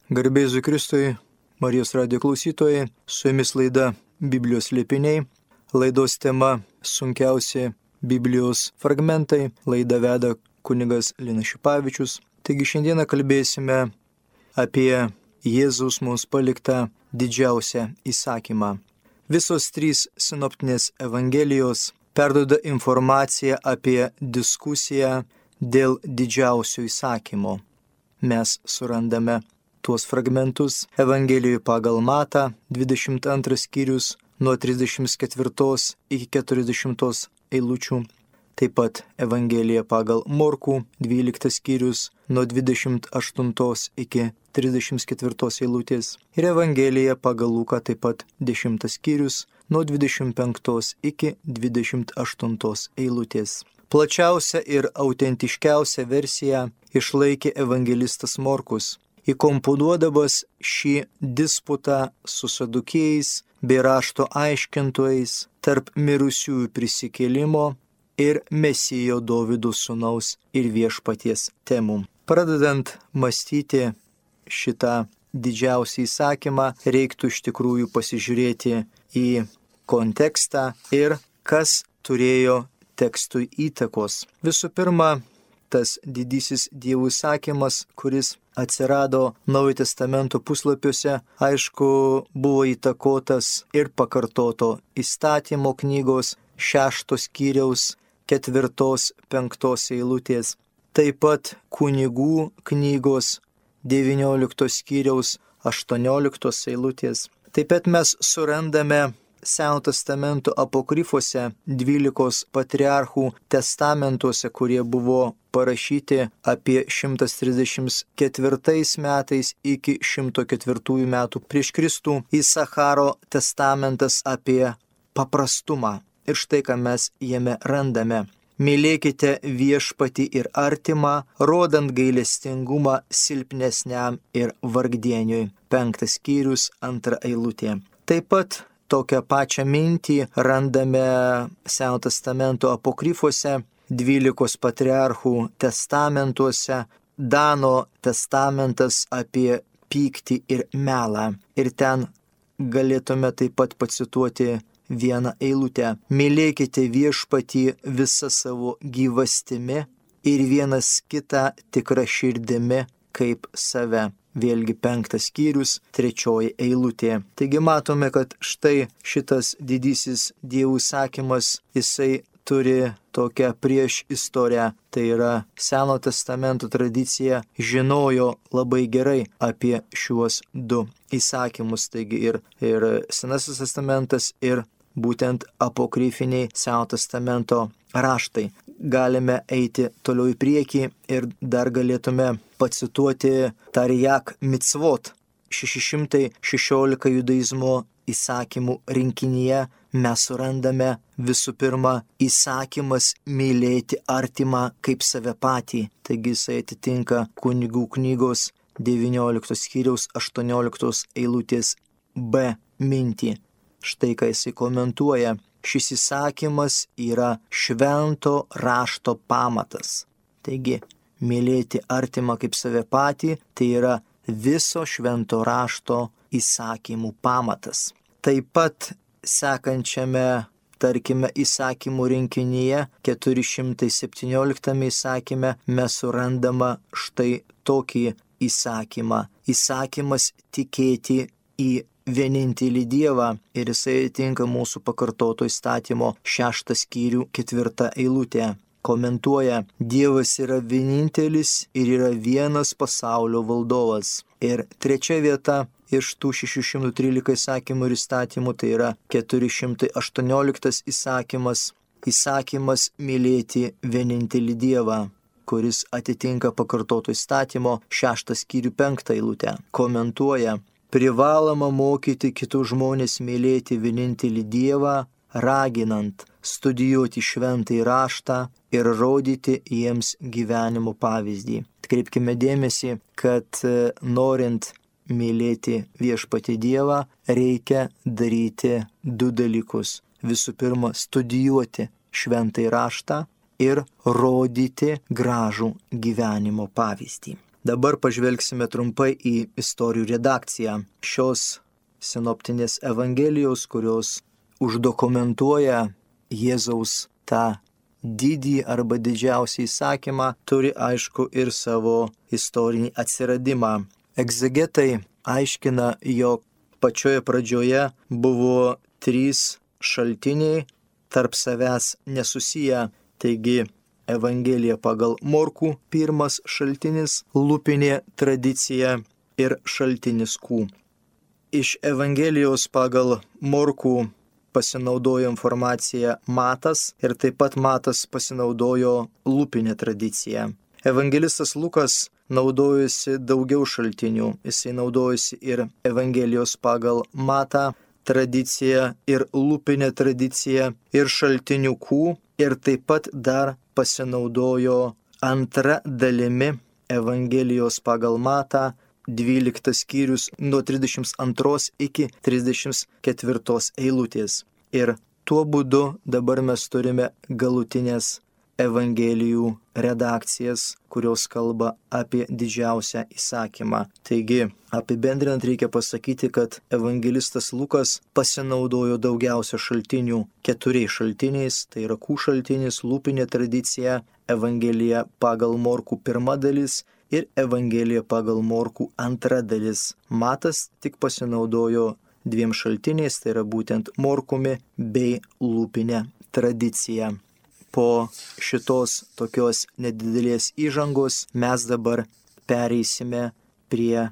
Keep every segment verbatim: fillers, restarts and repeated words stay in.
Garbė Jėzui Kristui, Marijos radijo klausytojai, su jumis laida Biblijos slėpiniai. Laidos tema sunkiausi Biblijos fragmentai. Laidą veda kunigas Linas Šipavičius. Taigi šiandieną kalbėsime apie Jėzaus mums paliktą didžiausią įsakymą. Visos trys sinoptinės evangelijos perduoda informaciją apie diskusiją dėl didžiausio įsakymo. Mes surandame tuos fragmentus Evangelijoje pagal Matą, dvidešimt antras skyrius nuo trisdešimt ketvirtos iki keturiasdešimtos eilučių. Taip pat Evangelija pagal Morkų, dvyliktas skyrius nuo dvidešimt aštuntos iki trisdešimt ketvirtos eilutės. Ir Evangelija pagal Luką taip pat dešimtas skyrius nuo dvidešimt penktos iki dvidešimt aštuntos eilutės. Plačiausią ir autentiškiausią versiją išlaikė evangelistas Morkus, įkomponuodamas šį disputą su sadukėjais bei rašto aiškintojais tarp mirusiųjų prisikėlimo ir Mesijo Dovydo sūnaus ir viešpaties temų. Pradedant mąstyti šitą didžiausią įsakymą, reiktų iš tikrųjų pasižiūrėti į kontekstą ir kas turėjo tekstui įtakos. Visų pirma, tas didysis Dievo įsakymas, kuris atsirado Naujojo testamento puslapiuose, aišku, buvo įtakotas ir pakartoto įstatymo knygos šeštos skyriaus ketvirtos penktos eilutės, taip pat kunigų knygos devynioliktos skyriaus aštuonioliktos eilutės. Taip pat mes surandame Seno testamento apokrifuose, dvylikos patriarchų testamentuose, kurie buvo parašyti apie šimtas trisdešimt ketvirtais metais iki šimto ketvirtųjų metų prieš Kristų, Isacharo testamentas apie paprastumą. Ir štai ką mes jame randame. Mylėkite viešpatį ir artimą, rodant gailestingumą silpnesniam ir vargdieniui. Penktas skyrius, antra eilutė. Taip pat tokią pačią mintį randame Seno testamento apokrifuose, dvylikos patriarchų testamentuose, Dano testamentas apie pyktį ir melą. Ir ten galėtume taip pat pacituoti vieną eilutę. Mylėkite viešpatį visą savo gyvastimi ir vienas kitą tikrą širdimi kaip save. Vėlgi penktas skyrius, trečioji eilutė. Taigi matome, kad štai šitas didysis Dievo įsakymas, jisai turi tokią prieš istoriją. Tai yra Seno testamento tradicija žinojo labai gerai apie šiuos du įsakymus. Taigi ir, ir Senasis testamentas ir būtent apokrifiniai Seno testamento raštai. Galime eiti toliau į priekį ir dar galėtume pacituoti Tarijak Mitzvot. šeši šimtai šešiolika judaizmo įsakymų rinkinyje mes surandame visų pirma įsakymas mylėti artimą kaip save patį. Taigi jisai atitinka kunigų knygos devynioliktos skyriaus aštuonioliktos eilutės B mintį. Štai ką jisai komentuoja. Šis įsakymas yra švento rašto pamatas. Taigi, mylėti artimą kaip save patį, tai yra viso švento rašto įsakymų pamatas. Taip pat sekančiame, tarkime, įsakymų rinkinyje, keturi šimtai septynioliktame įsakyme, mes surandama štai tokį įsakymą. Įsakymas tikėti į vienintelį Dievą ir jisai tinka mūsų pakartoto įstatymo šeštą skyrių ketvirtą eilutę. Komentuoja, Dievas yra vienintelis ir yra vienas pasaulio valdovas. Ir trečia vieta iš tų šešių šimtų trylika įsakymų ir įstatymų, tai yra keturi šimtai aštuonioliktas įsakymas. Įsakymas mylėti vienintelį Dievą, kuris atitinka pakartoto įstatymo šeštą skyrių penktą eilutę. Komentuoja, privaloma mokyti kitus žmonės mylėti vienintelį Dievą, raginant studijuoti šventąjį raštą ir rodyti jiems gyvenimo pavyzdį. Atkreipkime dėmesį, kad norint mylėti viešpatį Dievą, reikia daryti du dalykus. Visų pirma, studijuoti šventąjį raštą ir rodyti gražų gyvenimo pavyzdį. Dabar pažvelgsime trumpai į istorijų redakciją šios sinoptinės evangelijos, kurios uždokumentuoja Jėzaus tą didį arba didžiausią įsakymą, turi aišku ir savo istorinį atsiradimą. Egzegetai aiškina, jog pačioje pradžioje buvo trys šaltiniai tarp savęs nesusiję, taigi Evangelija pagal Morkų pirmas šaltinis, lūpinė tradicija ir šaltinis Q. Iš Evangelijos pagal Morkų pasinaudojo informacija Matas ir taip pat Matas pasinaudojo lūpinę tradiciją. Evangelistas Lukas naudojosi daugiau šaltinių, jisai naudojosi ir Evangelijos pagal Matą tradiciją ir lūpinę tradiciją ir šaltinių Q ir taip pat dar pasinaudojo antra dalimi Evangelijos pagal Matą, dvyliktas skyrius nuo trisdešimt antros iki trisdešimt ketvirtos eilutės. Ir tuo būdu dabar mes turime galutinės Evangelijų redakcijas, kurios kalba apie didžiausią įsakymą. Taigi, apibendrinant reikia pasakyti, kad evangelistas Lukas pasinaudojo daugiausia šaltinių keturiais šaltiniais, tai yra Q šaltinis, lūpinė tradicija, Evangelija pagal Morkų pirma dalis ir Evangelija pagal Morkų antra dalis. Matas tik pasinaudojo dviem šaltiniais, tai yra būtent Morkumi bei lūpinė tradicija. Po šitos tokios nedidelės įžangos mes dabar pereisime prie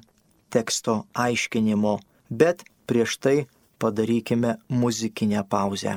teksto aiškinimo, bet prieš tai padarykime muzikinę pauzę.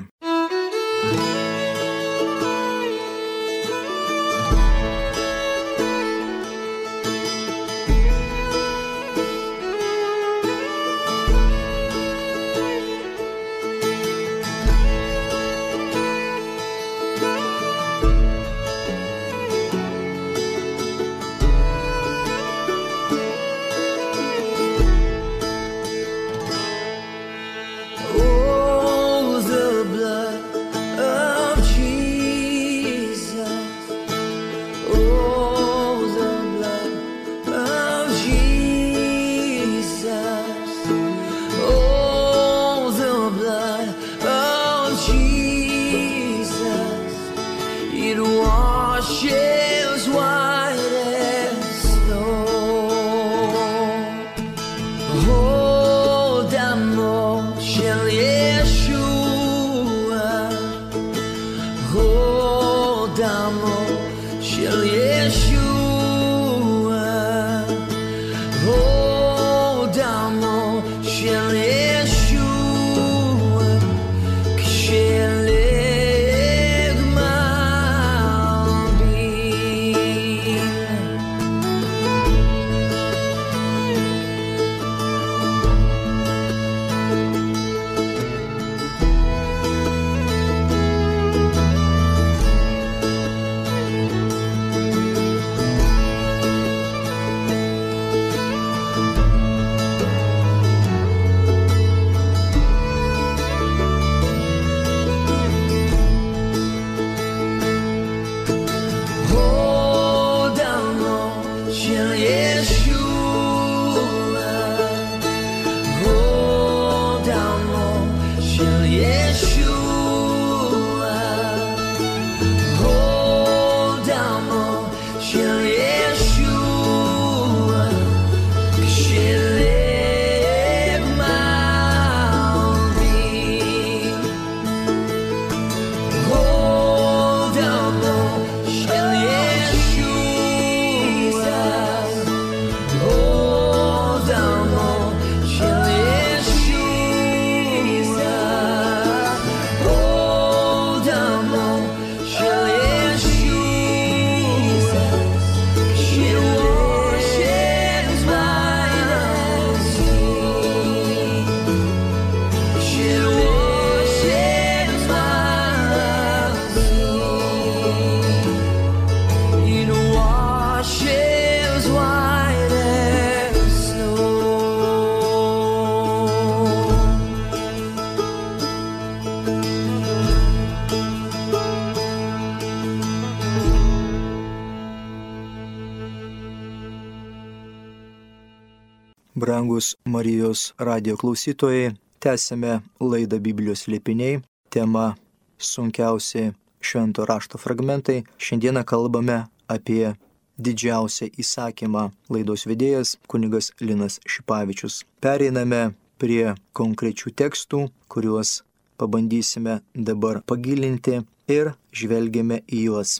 Brangus Marijos radio klausytojai, tęsime laidą Biblijos slėpiniai, tema sunkiausi švento rašto fragmentai. Šiandieną kalbame apie didžiausią įsakymą. Laidos vedėjas kunigas Linas Šipavičius. Pereiname prie konkrečių tekstų, kuriuos pabandysime dabar pagilinti ir žvelgiame į juos.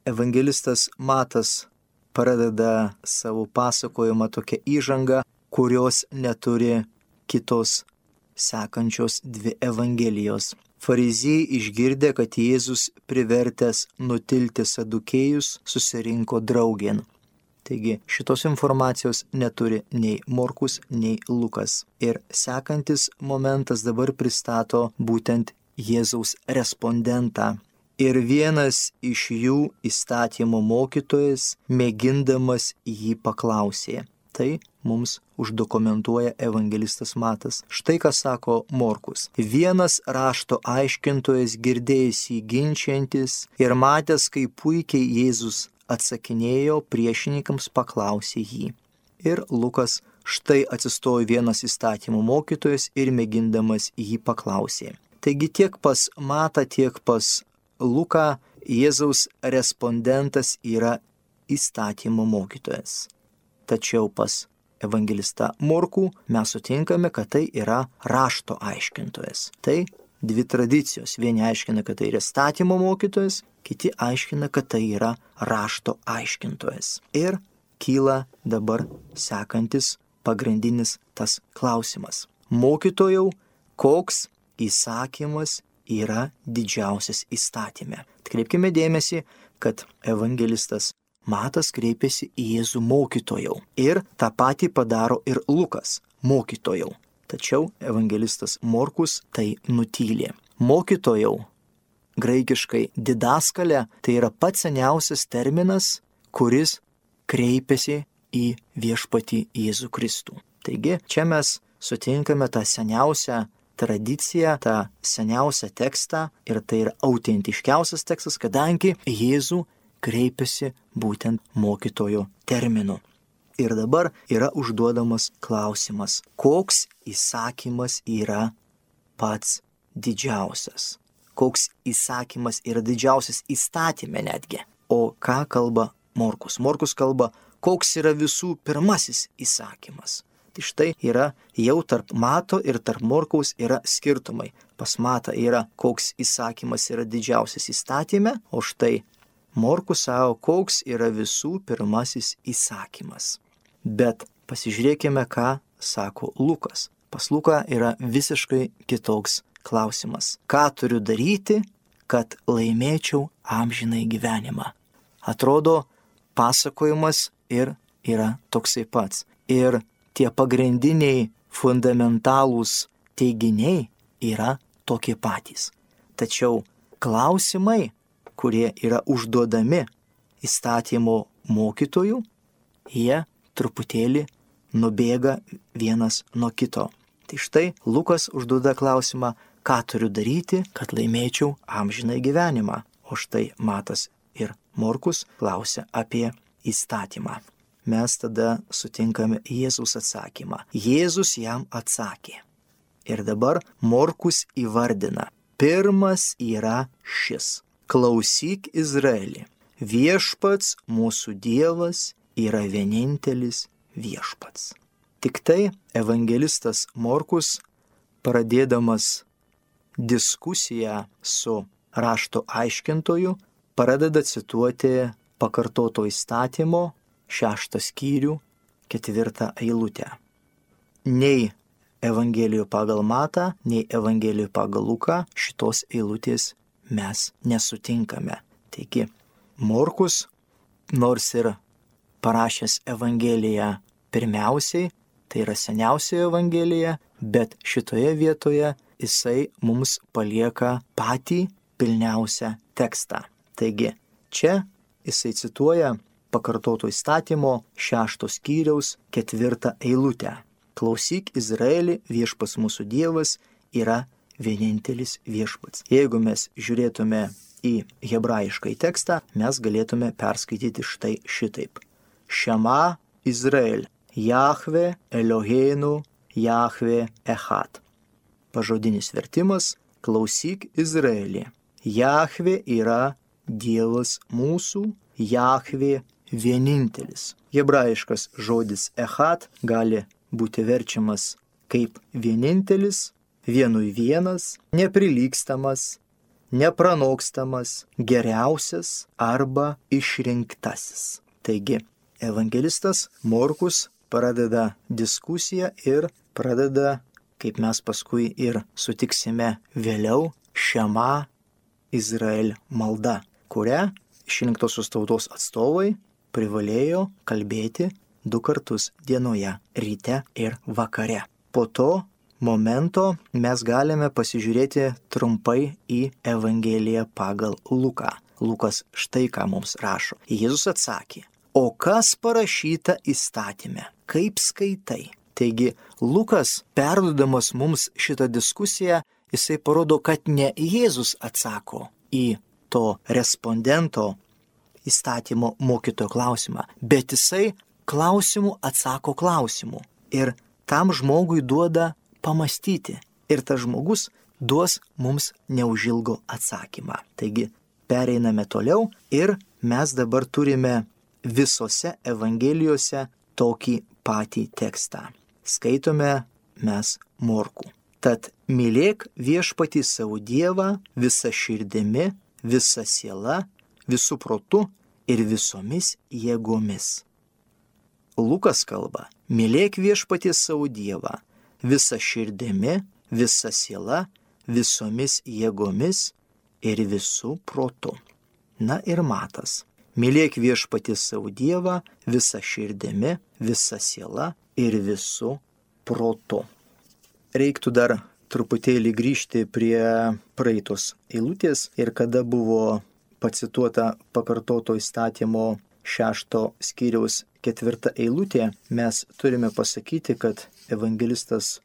Evangelistas Matas pradeda savo pasakojimą tokią įžangą, kurios neturi kitos sekančios dvi evangelijos. Fariziejai išgirdę, kad Jėzus privertęs nutilti sadukėjus, susirinko draugėn. Taigi šitos informacijos neturi nei Morkus, nei Lukas. Ir sekantis momentas dabar pristato būtent Jėzaus respondentą. Ir vienas iš jų, įstatymo mokytojas, mėgindamas jį paklausė. Tai mums uždokumentuoja evangelistas Matas. Štai ką sako Morkus. Vienas rašto aiškintojas, girdėjęs jį ginčiantis ir matęs, kaip puikiai Jėzus atsakinėjo, priešininkams paklausė jį. Ir Lukas, štai atsistojo vienas įstatymo mokytojas ir mėgindamas jį paklausė. Taigi tiek pas Matą, tiek pas Luką Jėzaus respondentas yra įstatymo mokytojas. Tačiau pas evangelistą Morkų mes sutinkame, kad tai yra rašto aiškintojas. Tai dvi tradicijos. Vieni aiškina, kad tai yra įstatymo mokytojas, kiti aiškina, kad tai yra rašto aiškintojas. Ir kyla dabar sekantis pagrindinis tas klausimas. Mokytojau, koks įsakymas yra didžiausias įstatyme? Atkreipkime dėmesį, kad evangelistas Matas kreipėsi į Jėzų mokytojau. Ir tą patį padaro ir Lukas mokytojau. Tačiau evangelistas Morkus tai nutylė. Mokytojau, graikiškai didaskalė, tai yra pats seniausias terminas, kuris kreipiasi į viešpatį Jėzų Kristų. Taigi čia mes sutinkame tą seniausią tradiciją, tą seniausią tekstą ir tai yra autentiškiausias tekstas, kadangi Jėzų kreipiasi būtent mokytojo terminu. Ir dabar yra užduodamas klausimas, koks įsakymas yra pats didžiausias? Koks įsakymas yra didžiausias įstatyme netgi? O ką kalba Morkus? Morkus kalba, koks yra visų pirmasis įsakymas. Tai štai yra jau tarp Mato ir tarp Morkaus yra skirtumai. Pas Matą yra, koks įsakymas yra didžiausias įstatyme, o štai Morkus savo, koks yra visų pirmasis įsakymas. Bet pasižiūrėkime, ką sako Lukas. Pas Luką yra visiškai kitoks klausimas. Ką turiu daryti, kad laimėčiau amžinai gyvenimą? Atrodo, pasakojimas ir yra toksai pats. Ir tie pagrindiniai fundamentalūs teiginiai yra tokie patys. Tačiau klausimai, kurie yra užduodami įstatymo mokytojų, jie truputėlį nubėga vienas nuo kito. Tai štai Lukas užduoda klausimą, ką turiu daryti, kad laimėčiau amžinai gyvenimą. O štai Matas ir Morkus klausia apie įstatymą. Mes tada sutinkame Jėzaus atsakymą. Jėzus jam atsakė. Ir dabar Morkus įvardina. Pirmas yra šis. Klausyk Izraeli, viešpats mūsų Dievas yra vienintelis viešpats. Tik tai evangelistas Morkus, pradėdamas diskusiją su rašto aiškintoju, pradeda cituoti pakartoto įstatymo šeštą skyrių, ketvirtą eilutę. Nei Evangelijų pagal Matą, nei Evangelijų pagal Luką šitos eilutės mes nesutinkame. Taigi, Morkus, nors ir parašęs Evangeliją pirmiausiai, tai yra seniausioji Evangelija, bet šitoje vietoje jisai mums palieka patį pilniausią tekstą. Taigi, čia jisai cituoja pakartoto įstatymo šešto skyriaus ketvirtą eilutę. Klausyk Izraeli, viešpats mūsų Dievas yra vienintelis viešpats. Jeigu mes žiūrėtume į hebrajišką tekstą, mes galėtume perskaityti štai šitaip. Šema Izrael, Jahve Eloheinu Jahve Echad. Pažodinis vertimas – klausyk Izraelį. Jahve yra Dievas mūsų, Jahve vienintelis. Hebrajiškas žodis Echad gali būti verčiamas kaip vienintelis, vienui vienas, neprilygstamas, nepranokstamas, geriausias arba išrinktasis. Taigi, evangelistas Morkus pradeda diskusiją ir pradeda, kaip mes paskui ir sutiksime vėliau, Šema Izrael malda, kurią išrinktosios tautos atstovai privalėjo kalbėti du kartus dienoje, ryte ir vakare. Po to momento mes galime pasižiūrėti trumpai į Evangeliją pagal Luką. Lukas štai ką mums rašo. Jėzus atsakė, o kas parašyta įstatyme, kaip skaitai? Taigi Lukas, perduodamas mums šitą diskusiją, jisai parodo, kad ne Jėzus atsako į to respondento įstatymo mokytojo klausimą, bet jisai klausimų atsako klausimų. Ir tam žmogui duoda pamastyti. Ir tas žmogus duos mums neužilgo atsakymą. Taigi pereiname toliau ir mes dabar turime visose Evangelijose tokį patį tekstą. Skaitome mes Morkų. Tad mylėk viešpatį savo Dievą visa širdimi, visa siela, visų protu ir visomis jėgomis. Lukas kalba, mylėk viešpatį savo Dievą visa širdimi, visa siela, visomis jėgomis ir visų protu. Na ir Matas, mylėk viešpatį savo Dievą visa širdimi, visa siela ir visų protu. Reiktų dar truputėlį grįžti prie praeitos eilutės ir kada buvo pacituota pakartoto įstatymo šešto skyriaus ketvirta eilutė, mes turime pasakyti, kad evangelistas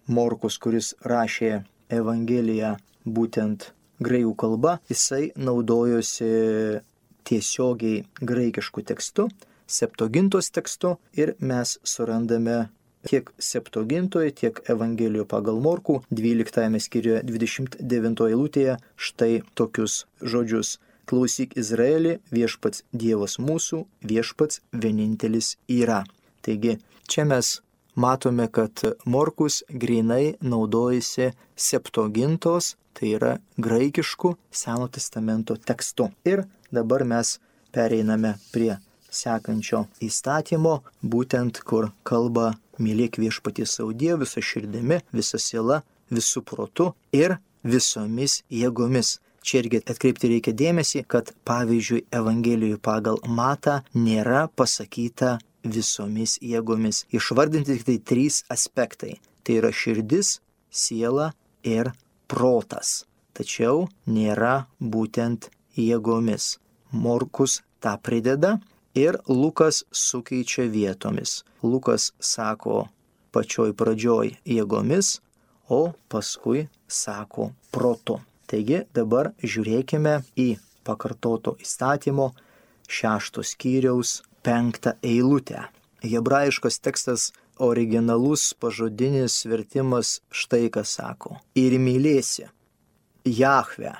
Morkus, kuris rašė Evangeliją būtent graikų kalba, jisai naudojosi tiesiogiai graikišku tekstu, Septuagintos tekstu ir mes surandame tiek Septuagintoje, tiek Evangelijoje pagal Morkų dvyliktajame skyriuje dvidešimt devintoje eilutėje štai tokius žodžius. Klausyk Izraelį, viešpats Dievas mūsų, viešpats vienintelis yra. Taigi čia mes matome, kad Morkus grinai naudojasi Septuagintos, tai yra graikišku Seno testamento tekstu. Ir dabar mes pereiname prie sekančio įstatymo, būtent kur kalba mylėk viešpatį savo Dievą visa širdimi, visa siela, visų protu ir visomis jėgomis. Čia irgi atkreipti reikia dėmesį, kad pavyzdžiui Evangelijoje pagal Matą nėra pasakyta visomis jėgomis. Išvardinti tik tai trys aspektai. Tai yra širdis, siela ir protas. Tačiau nėra būtent jėgomis. Morkus tą prideda ir Lukas sukeičia vietomis. Lukas sako pačioj pradžioj jėgomis, o paskui sako protu. Taigi dabar žiūrėkime į pakartoto įstatymo šešto skyriaus penktą eilutę. Hebrajiškas tekstas originalus pažodinis vertimas štai ką sako. Ir mylėsi Jahvę,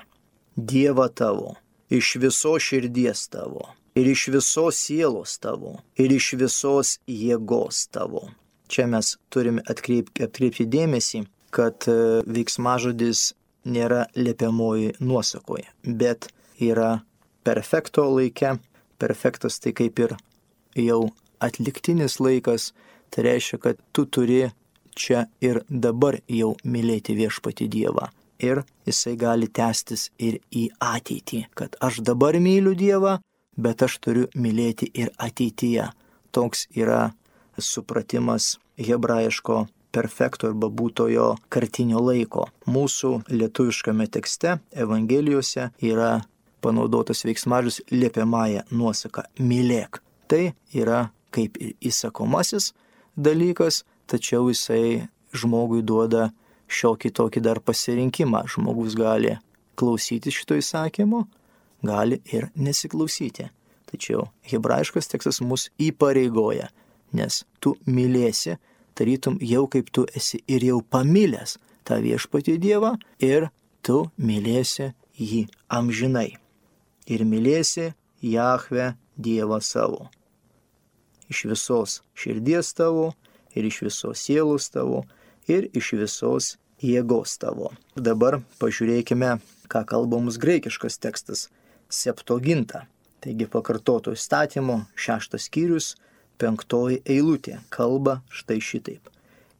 Dievą tavo, iš visos širdies tavo, ir iš visos sielos tavo, ir iš visos jėgos tavo. Čia mes turime atkreipti, atkreipti dėmesį, kad veiksmažodis nėra liepiamoji nuosakoje, bet yra perfekto laike. Perfektas tai kaip ir jau atliktinis laikas, tai reiškia, kad tu turi čia ir dabar jau mylėti viešpatį Dievą. Ir jisai gali tęstis ir į ateitį, kad aš dabar myliu Dievą, bet aš turiu mylėti ir ateityje. Toks yra supratimas hebrajiško perfekto arba būtojo kartinio laiko. Mūsų lietuviškame tekste, Evangelijose yra panaudotas veiksmažodis liepiamąja nuosaka mylėk. Tai yra kaip ir įsakomasis dalykas, tačiau jisai žmogui duoda šiokį tokį dar pasirinkimą. Žmogus gali klausyti šito įsakymo, gali ir nesiklausyti. Tačiau hebrajiškas tekstas mus įpareigoja nes tu mylėsi, tarytum jau kaip tu esi ir jau pamilęs tą viešpatį Dievą ir tu mylėsi jį amžinai. Ir mylėsi Jahvę Dievą savo. Iš visos širdies tavo, ir iš visos sielos tavo, ir iš visos jėgos tavo. Dabar pažiūrėkime, ką kalba mums graikiškas tekstas Septuaginta. Taigi pakartoto įstatymo šeštas skyrius, penktoji eilutė kalba štai šitaip.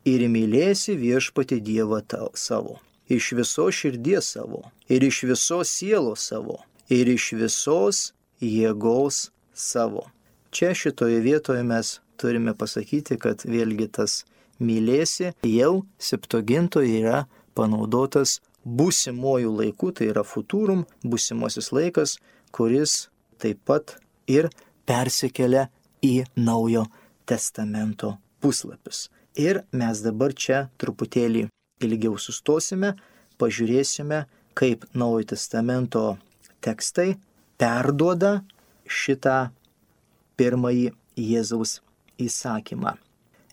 Ir mylėsi viešpatį Dievą tau savo. Iš visos širdies savo, ir iš visos sielos savo, ir iš visos jėgos savo. Čia šitoje vietoje mes turime pasakyti, kad vėlgi tas mylėsi jau Septuagintoje yra panaudotas būsimojų laikų, tai yra futurum, būsimosis laikas, kuris taip pat ir persikelia į Naujo testamento puslapius. Ir mes dabar čia truputėlį ilgiau sustosime, pažiūrėsime, kaip Naujojo testamento tekstai perduoda šitą pirmąjį Jėzaus įsakymą.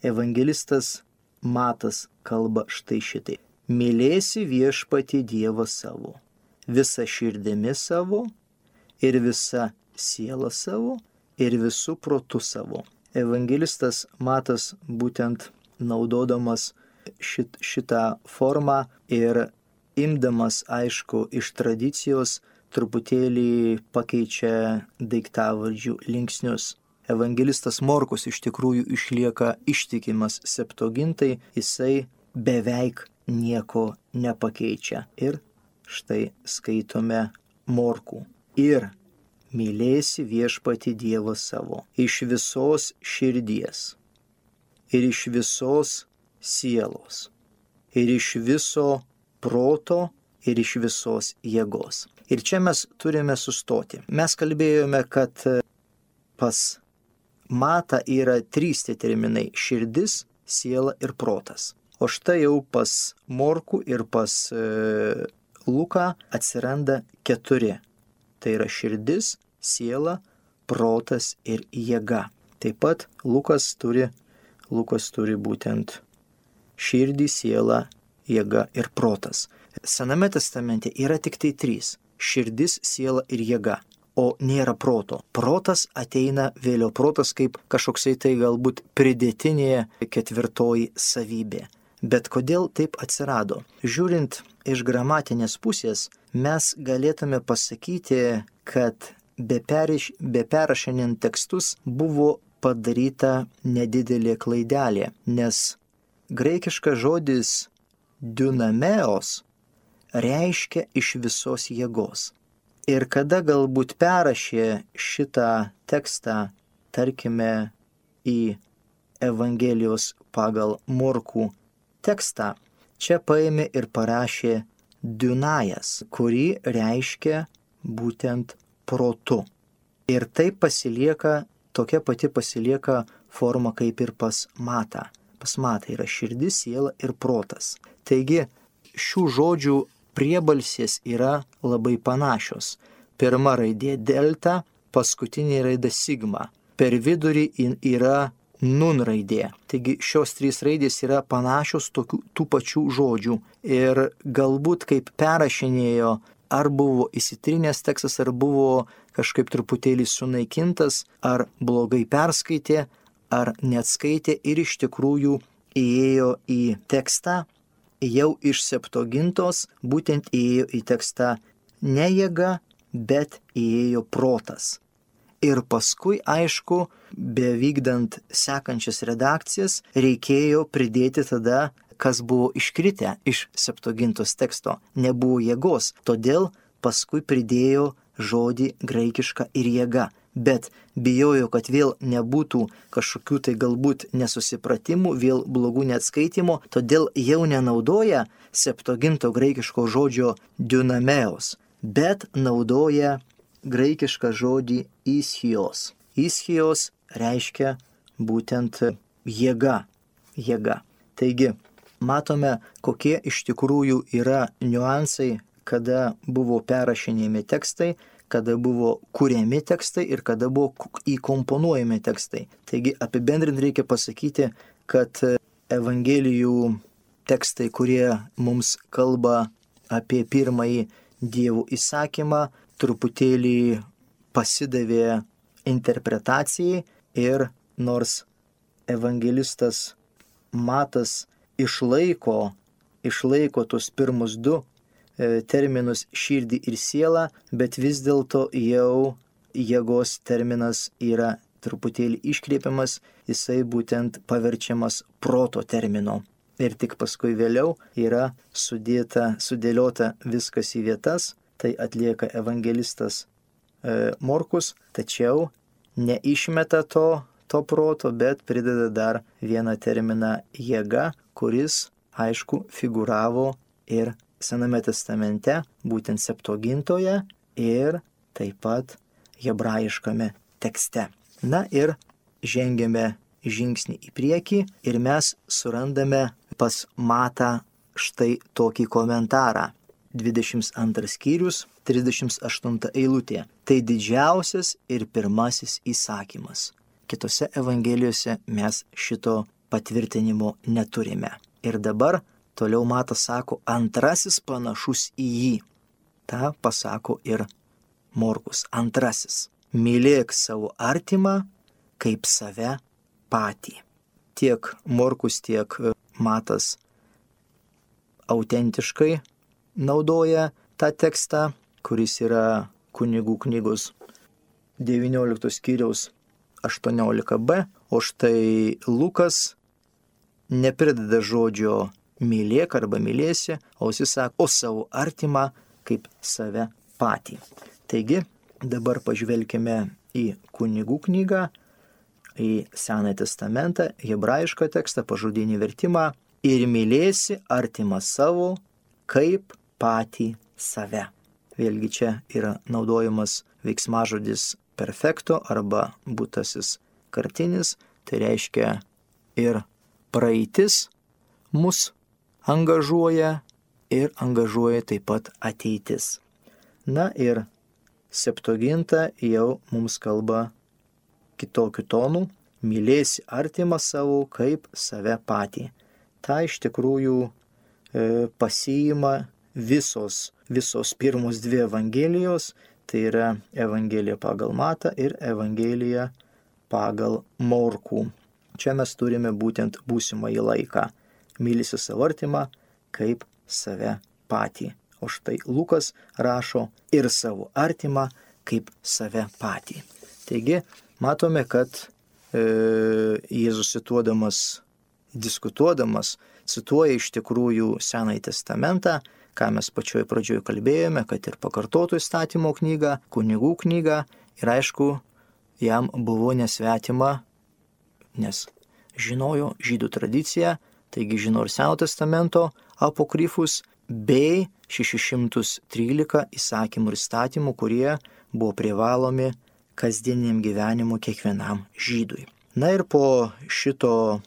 Evangelistas Matas kalba štai šitai. Mylėsi viešpatį Dievą savo, visą širdimi savo, ir visą sielą savo, ir visų protų savo. Evangelistas Matas būtent naudodamas šit, šitą formą ir imdamas, aišku, iš tradicijos, truputėlį pakeičia daiktavardžių linksnius. Evangelistas Morkus iš tikrųjų išlieka ištikimas Septuagintai, jisai beveik nieko nepakeičia. Ir štai skaitome Morkų. Ir mylėsi viešpatį Dievą savo iš visos širdies, ir iš visos sielos, ir iš viso proto, ir iš visos jėgos. Ir čia mes turime sustoti. Mes kalbėjome, kad pas Matą yra trys tie terminai – širdis, siela ir protas. O štai jau pas Morkų ir pas e, Luką atsiranda keturi. Tai yra širdis, siela, protas ir jėga. Taip pat Lukas turi, Lukas turi būtent širdį, sielą, jėga ir protas. Sename testamente yra tik tai trys – širdis, siela ir jėga. O nėra proto. Protas ateina vėliau. Protas kaip kažkoksai tai galbūt pridėtinė ketvirtoji savybė. Bet kodėl taip atsirado? Žiūrint iš gramatinės pusės, mes galėtume pasakyti, kad be, periš, be perrašinant tekstus buvo padaryta nedidelė klaidelė, nes graikiškas žodis dunameos reiškia iš visos jėgos. Ir kada galbūt perrašė šitą tekstą, tarkime, į Evangelijos pagal Morkų tekstą, čia paėmė ir parašė dunajas, kurį reiškia būtent protu. Ir taip pasilieka, tokia pati pasilieka forma kaip ir pas Matą. Pas Matą yra širdis, siela ir protas. Taigi šių žodžių priebalsės yra labai panašios. Pirma raidė delta, paskutinė raidė sigma. Per vidurį yra nun raidė. Taigi šios trys raidės yra panašios tokių, tų pačių žodžių. Ir galbūt kaip perrašinėjo, ar buvo įsitrinęs tekstas, ar buvo kažkaip truputėlį sunaikintas, ar blogai perskaitė, ar neatskaitė ir iš tikrųjų įėjo į tekstą, jau iš Septuagintos būtent įėjo į tekstą ne jėga, bet įėjo protas. Ir paskui, aišku, bevykdant sekančias redakcijas, reikėjo pridėti tada, kas buvo iškritę iš Septuagintos teksto. Nebuvo jėgos, todėl paskui pridėjo žodį graikišką ir jėga. Bet bijojo, kad vėl nebūtų kažkokių tai galbūt nesusipratimų, vėl blogų neatskaitimų, todėl jau nenaudoja Septuaginto graikiško žodžio dunameos, bet naudoja graikišką žodį ischios. Ischios reiškia būtent jėga, jėga. Taigi, matome, kokie iš tikrųjų yra niuansai, kada buvo perrašinėjami tekstai, kada buvo kuriami tekstai ir kada buvo įkomponuojami tekstai. Taigi apibendrint reikia pasakyti, kad Evangelijų tekstai, kurie mums kalba apie pirmąjį Dievo įsakymą, truputėlį pasidavė interpretacijai ir nors evangelistas Matas išlaiko, išlaiko tos pirmus du e, terminus širdį ir sielą, bet vis dėlto jau jėgos terminas yra truputėlį iškreipiamas, jisai būtent paverčiamas proto termino. Ir tik paskui vėliau yra sudėta, sudėliota viskas į vietas, tai atlieka evangelistas e, Morkus, tačiau neišmeta to, to proto, bet prideda dar vieną terminą jėga, kuris, aišku, figūravo ir Sename testamente, būtent Septuagintoje ir taip pat hebrajiškame tekste. Na ir žengėme žingsnį į priekį ir mes surandame pas Matą štai tokį komentarą. dvidešimt antras skyrius, trisdešimt aštunta eilutė. Tai didžiausias ir pirmasis įsakymas. Kitose evangelijose mes šito patvirtinimo neturime. Ir dabar toliau Matas sako, antrasis panašus į jį. Ta pasako ir Morkus. Antrasis. Mylėk savo artimą kaip save patį. Tiek Morkus, tiek Matas autentiškai naudoja tą tekstą, kuris yra Kunigų knygos devynioliktos skyriaus aštuoniolika b, o štai Lukas neprideda žodžio mylėk arba mylėsi, o jis sako, o savo artimą kaip save patį. Taigi, dabar pažvelkime į Kunigų knygą, į Senąjį testamentą, hebrajišką tekstą, pažodinį vertimą ir mylėsi artimą savo kaip patį save. Vėlgi čia yra naudojamas veiksmažodis perfekto arba būtasis kartinis, tai reiškia ir praeitis mus angažuoja ir angažuoja taip pat ateitis. Na ir Septuaginta jau mums kalba kitokiu tonu, mylėsi artimą savo kaip save patį. Ta iš tikrųjų e, pasiima visos, visos pirmos dvi evangelijos, tai yra Evangelija pagal Matą ir Evangelija pagal Morkų. Čia mes turime būtent būsimąjį laiką. Mylisi savo artimą kaip save patį. O štai Lukas rašo ir savo artimą kaip save patį. Taigi, matome, kad e, Jėzus cituodamas, diskutuodamas, cituoja iš tikrųjų Senąjį testamentą, ką mes pačioj pradžioj kalbėjome, kad ir pakartotų įstatymo knygą, kunigų knygą, ir aišku, jam buvo nesvetima, nes žinojo žydų tradiciją, taigi žino ir Senojo testamento apokrifus, bei šeši šimtai trylika įsakymų ir įstatymų, kurie buvo privalomi kasdieniam gyvenimu kiekvienam žydui. Na ir po šito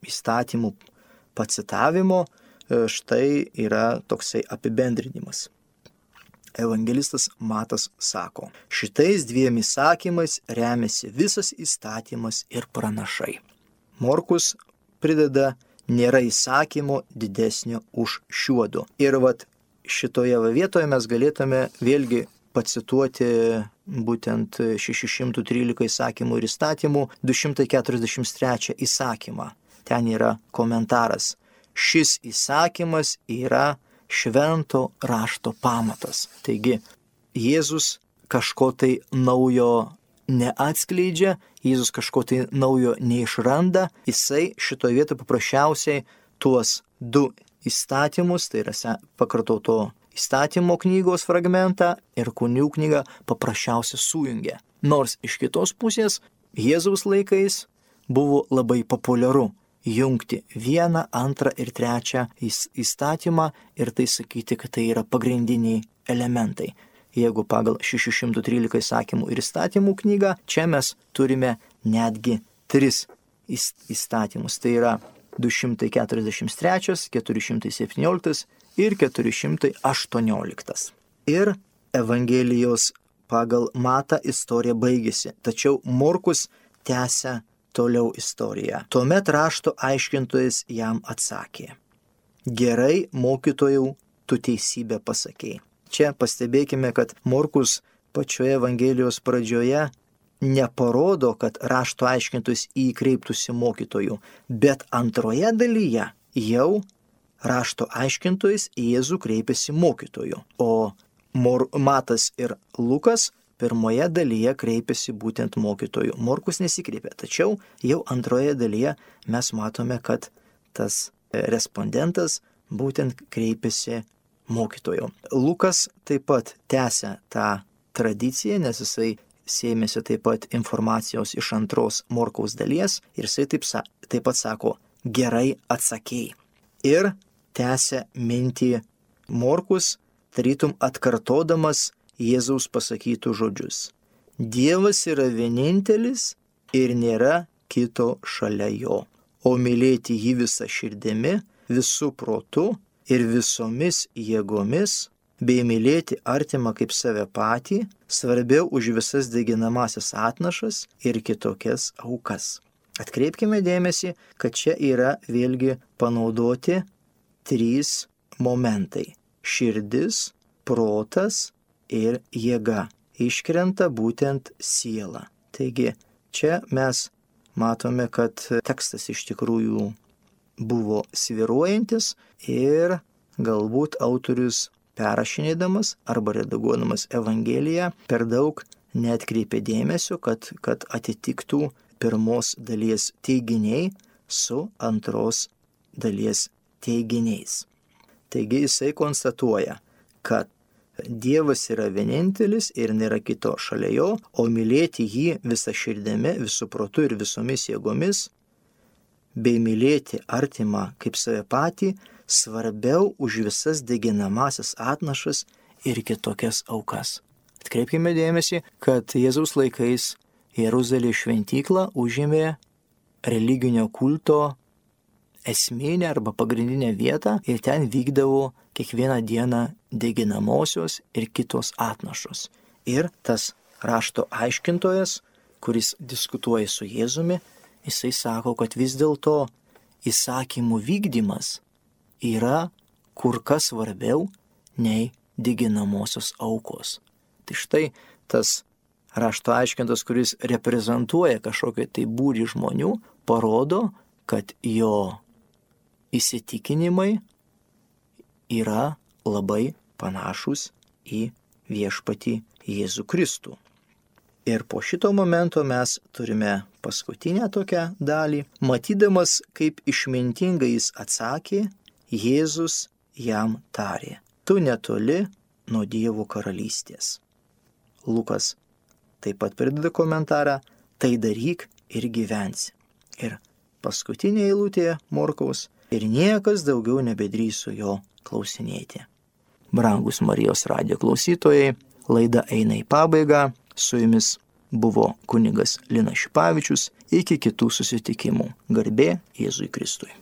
įstatymų pacitavimo štai yra toksai apibendrinimas. Evangelistas Matas sako, šitais dviem įsakymais remiasi visas įstatymas ir pranašai. Morkus prideda, nėra įsakymo didesnio už šiuodu. Ir vat šitoje vietoje mes galėtume vėlgi pacituoti būtent šeši šimtai trylika įsakymų ir įstatymų, du šimtai keturiasdešimt trečią įsakymą. Ten yra komentaras. Šis įsakymas yra švento rašto pamatas. Taigi, Jėzus kažko tai naujo neatskleidžia, Jėzus kažko tai naujo neišranda, jisai šitoje vietoje paprasčiausiai tuos du įstatymus, tai yra pakartoto įstatymo knygos fragmentą ir kunigų knygą paprasčiausiai sujungia. Nors iš kitos pusės Jėzaus laikais buvo labai populiaru jungti vieną, antrą ir trečią įstatymą ir tai sakyti, kad tai yra pagrindiniai elementai. Jeigu pagal šeši šimtai trylika įsakymų ir įstatymų knygą, čia mes turime netgi tris įstatymus. Tai yra du šimtai keturiasdešimt trečias, keturi šimtai septynioliktas ir keturi šimtai aštuonioliktas. Ir Evangelijos pagal Matą istorija baigėsi, tačiau Morkus tęsia toliau istoriją. Tuomet rašto aiškintojas jam atsakė: gerai, mokytojau, tu teisybę pasakei. Čia pastebėkime, kad Morkus pačioje Evangelijos pradžioje neparodo, kad rašto aiškintojas į jį kreiptųsi mokytojų, bet antroje dalyje jau rašto aiškintojas į Jėzų kreipiasi mokytojų, o Mor- Matas ir Lukas pirmoje dalyje kreipiasi būtent mokytojų. Morkus nesikreipia, tačiau jau antroje dalyje mes matome, kad tas respondentas būtent kreipiasi mokytojų. Lukas taip pat tęsia tą tradiciją, nes jisai sėmėsi taip pat informacijos iš antros Morkaus dalies ir jisai taip, taip pat sako: gerai atsakei. Ir tęsia mintį Morkus, tarytum atkartodamas Jėzaus pasakytų žodžius: Dievas yra vienintelis ir nėra kito šalia jo, o mylėti jį visą širdimi, visų protu ir visomis jėgomis, bei mylėti artimą kaip save patį, svarbiau už visas deginamasias atnašas ir kitokias aukas. Atkreipkime dėmesį, kad čia yra vėlgi panaudoti trys momentai - širdis, protas ir jėga. Iškrenta būtent siela. Taigi čia mes matome, kad tekstas iš tikrųjų buvo svyruojantis ir galbūt autorius perrašinėdamas arba redaguodamas Evangeliją per daug neatkreipė dėmesio, kad, kad atitiktų pirmos dalies teiginiai su antros dalies teiginiais. Taigi jisai konstatuoja, kad Dievas yra vienintelis ir nėra kito šalia jo, o mylėti jį visą širdimi, visų protu ir visomis jėgomis, bei mylėti artimą kaip save patį, svarbiau už visas deginamasias atnašas ir kitokias aukas. Atkreipkime dėmesį, kad Jėzaus laikais Jeruzalės šventyklą užėmė religinio kulto esminę arba pagrindinę vietą ir ten vykdavo kiekvieną dieną deginamosios ir kitos atnašos. Ir tas rašto aiškintojas, kuris diskutuoja su Jėzumi, jisai sako, kad vis dėlto įsakymų vykdymas yra kur kas svarbiau nei deginamosios aukos. Tai štai tas rašto aiškintas, kuris reprezentuoja kažkokią tai būrį žmonių, parodo, kad jo įsitikinimai yra labai panašus į viešpatį Jėzų Kristų. Ir po šito momento mes turime paskutinę tokią dalį. Matydamas, kaip išmintingai jis atsakė, Jėzus jam tarė: tu netoli nuo Dievo karalystės. Lukas taip pat prideda komentarą: tai daryk ir gyvensi. Ir paskutinė eilutė Morkaus: ir niekas daugiau nebedrįso jo klausinėti. Brangus Marijos radijo klausytojai, laida eina į pabaigą. Su jumis buvo kunigas Linas Šipavičius. Iki kitų susitikimų. Garbė Jėzui Kristui.